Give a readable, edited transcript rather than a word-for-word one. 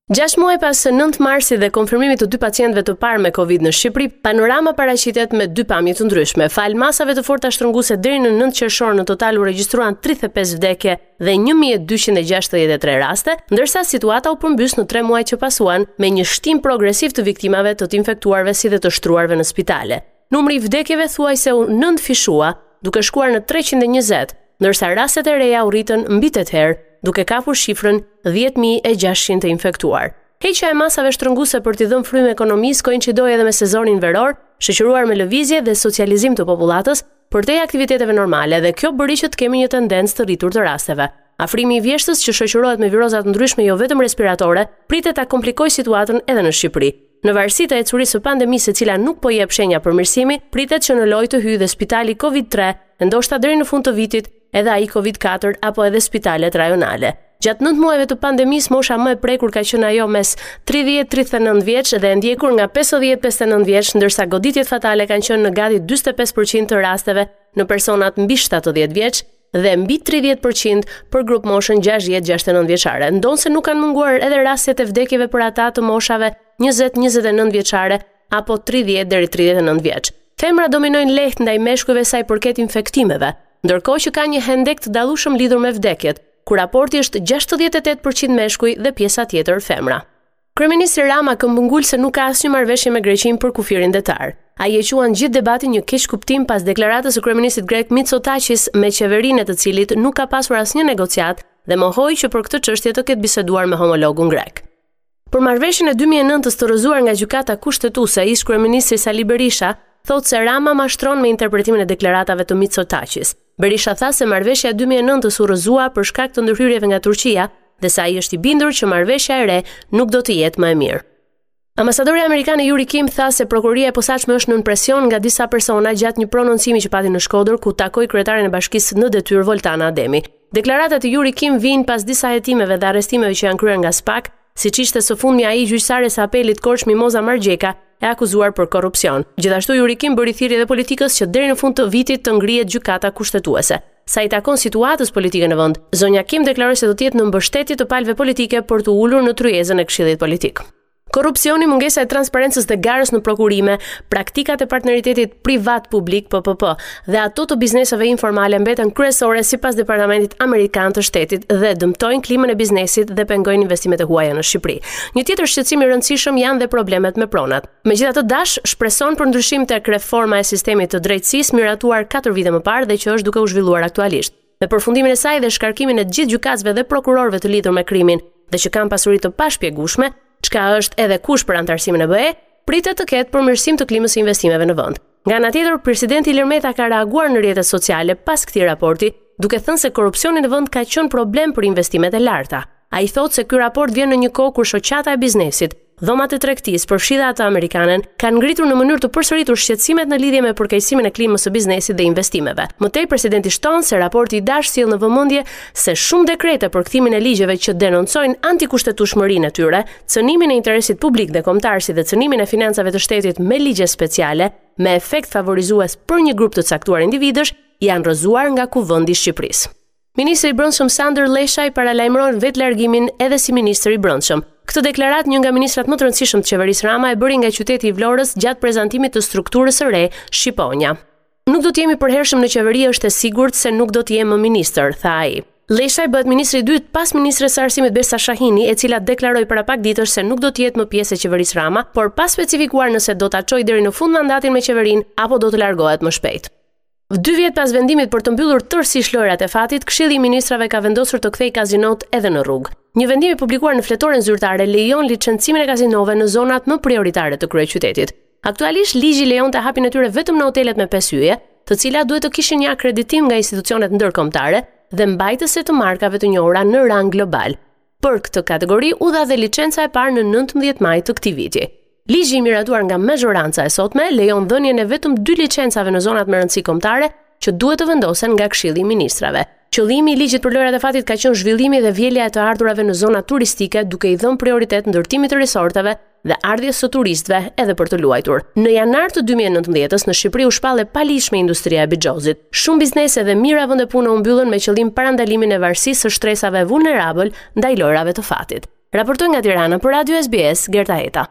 Gjashtë muaj pas 9 marsit dhe konfirmimit të dy pacientëve të parë me Covid në Shqipëri, panorama paraqitet me dy pamje të ndryshme. Falë masave të forta shtrënguese deri në 9 qershor në total u regjistruan 35 vdekje dhe 1263 raste, ndërsa situata u përmbys në 3 muaj që pasuan me një shtim progresiv të viktimave të të infektuarve si dhe të shtruarve në spitale. Numri i vdekjeve thuajse u nëntëfishua, duke shkuar në 320, ndërsa rastet e reja u rritën mbi 8 herë, duke kapur shifrën 10.600 të infektuar. Heqja e masave shtrënguese për t'i dhënë frymë ekonomisë koinçidoi edhe me sezonin veror, shoqëruar me lëvizje dhe socializim të popullatës përtej aktiviteteve normale dhe kjo bëri që të kemi një tendencë të rritur të rasteve. Afrimi i vjeshtës që shoqërohet me viroza të ndryshme jo vetëm respiratore, pritet ta komplikojë situatën edhe në Shqipëri. Në varësi të ecurisë së pandemisë e cila nuk po jep shenja përmirësimi, pritet që në lojë të hyjë dhe spitali Covid-3, e ndoshta deri në fund të vitit edhe ai Covid-4 apo edhe spitalet rajonale. Gjatë 9 muajve të pandemisë, mosha më e prekur ka qenë ajo mes 30-39 vjeç dhe e ndjekur nga 50-59 vjeç, ndërsa goditjet fatale kanë qenë në gati 45% të rasteve në personat mbi 70 vjeç dhe mbi 30% për grupmoshën 60-69 vjeçare. Ndonëse nuk kanë munguar edhe rastet e vdekjeve për ata të moshave 20-29 vjeçare apo 30 deri 39 vjeç. Femrat dominojnë lehtë ndaj meshkujve sa i përket infektimeve, ndërkohë që ka një hendek të dallueshëm lidhur me vdekjet, ku raporti është 68% meshkuj dhe pjesa tjetër femra. Kryeministri Rama këmbëngul se nuk ka asnjë marrëveshje me Greqinë për kufirin detar. Ai e quan gjithë debatin një keqkuptim pas deklaratës së kryeministrit grek Mitsotakis me qeverinë e të cilit nuk ka pasur asnjë negociatë dhe mohoi që për këtë çështje të ketë biseduar me homologun grek. Për marrëveshjen e 2009-s të rrëzuar nga Gjykata Kushtetuese, ish-kryeministri Sali Berisha thotë se Rama mashtron me interpretimin e deklaratave të Mitsotakis. Berisha tha se marrëveshja e 2009-s u rrëzua për shkak të ndërhyrjeve nga Turqia dhe se ai është i bindur që marrëveshja e re nuk do të jetë më e mirë. Ambasadorja amerikane Yuri Kim tha se prokuroria e posaçme është nën presion nga disa persona gjatë një prononcimi që pati në Shkodër ku takoi kryetaren e bashkisë në detyrë Voltana Ademi. Deklaratat e Yuri Kim vijnë pas disa hetimeve dhe arrestimeve që janë kryer nga SPAK, siç ishte së fundmi ai i gjyqtares së apelit Korçë Mimoza Margjeka, e akuzuar për korrupsion. Gjithashtu Yuri Kim bëri thirrje edhe politikës që deri në fund të vitit të ngrihet gjykata kushtetuese. Sa i takon situatës politike në vend, zonja Kim deklaroi se do të jetë në mbështetje të palëve politike për t'u ulur në tryezën e Këshillit Politik. Korrupsioni, mungesa e transparencës dhe garës në prokurime, praktikat e partneritetit privat-publik PPP dhe ato të bizneseve informale mbeten kryesore sipas Departamentit Amerikan të Shtetit dhe dëmtojnë klimën e biznesit dhe pengojnë investimet e huaja në Shqipëri. Një tjetër shqetësim i rëndësishëm janë dhe problemet me pronat. Megjithatë DASH shpreson për ndryshim tek reforma e sistemit të drejtësisë miratuar 4 vite më parë dhe që është duke u zhvilluar aktualisht. Me përfundimin e saj dhe shkarkimin e të gjithë gjykatësve dhe prokurorëve të lidhur me krimin dhe që kanë pasuri të pashpjegueshme, çka është edhe kusht për anëtarësimin në BE, pritet të ketë përmirësim të klimës së investimeve në vend. Nga ana tjetër, presidenti Ilir Meta ka reaguar në rrjetet sociale pas këtij raporti, duke thënë se korrupsioni në vend ka qenë problem për investimet e larta. Ai thotë se ky raport vjen në një kohë kur shoqata e biznesit, dhomat e tregtisë, përfshi dhe atë amerikanen, kanë ngritur në mënyrë të përsëritur shqetësimet në lidhje me përkeqësimin e klimës së biznesit dhe investimeve. Më tej presidenti shton se raporti i DASH sjell në vëmendje se shumë dekrete për kthimin e ligjeve që denoncojnë antikushtetueshmërinë e tyre, cënimin e interesit publik dhe kombëtar si dhe cënimin e financave të shtetit me ligje speciale, me efekt favorizues për një grup të caktuar individësh, janë rrëzuar nga Kuvendi i Shqipërisë. Ministri i Brendshëm Sandër Lleshaj paralajmëron vetëlargimin edhe si ministër i Brendshëm. Këtë deklaratë një nga ministrat më të rëndësishëm të qeverisë Rama e bëri nga qyteti i Vlorës gjatë prezantimit të strukturës së re Shqiponja. Nuk do të jem i përhershëm në qeveri, është e sigurt se nuk do të jem më ministër, tha ai. Lleshaj bëhet ministri i dytë pas ministres së Arsimit Besa Shahini, e cila deklaroi para pak ditësh se nuk do të jetë më pjesë e qeverisë Rama, por pa specifikuar nëse do ta çojë deri në fund mandatin me qeverinë apo do të largohet më shpejt. Dy vjet pas vendimit për të mbyllur tërësisht lojërat e fatit, Këshilli i Ministrave ka vendosur të kthejë kazinot edhe në rrugë. Një vendim i publikuar në fletoren zyrtare lejon licencimin e kazinove në zonat më prioritare të kryeqytetit. Aktualisht ligji lejonte hapjen e tyre vetëm në hotelet me 5 yje, të cilat duhet të kishin një akreditim nga institucionet ndërkombëtare dhe mbajtëse të markave të njohura në rang global. Për këtë kategori u dha dhe licenca e parë në 19 maj të këtij viti. Ligji i miratuar nga mazhoranca e sotme lejon dhënien e vetëm dy licencave në zonat me rëndësi kombëtare që duhet të vendosen nga Këshilli i Ministrave. Qëllimi i ligjit për lojërat e fatit ka qenë zhvillimi dhe vjelja e të ardhurave në zonat turistike, duke i dhënë prioritet ndërtimit të resorteve dhe ardhjes së turistëve edhe për të luajtur. Në janar të 2019-s në Shqipëri u shpall e paligjshme industria e bixhozit. Shumë biznese dhe mijëra vende pune u mbyllën me qëllim parandalimin e varësisë së shtresave vulnerabël ndaj lojërave të fatit. Raportoi nga Tirana për Radio SBS, Gerta Heta.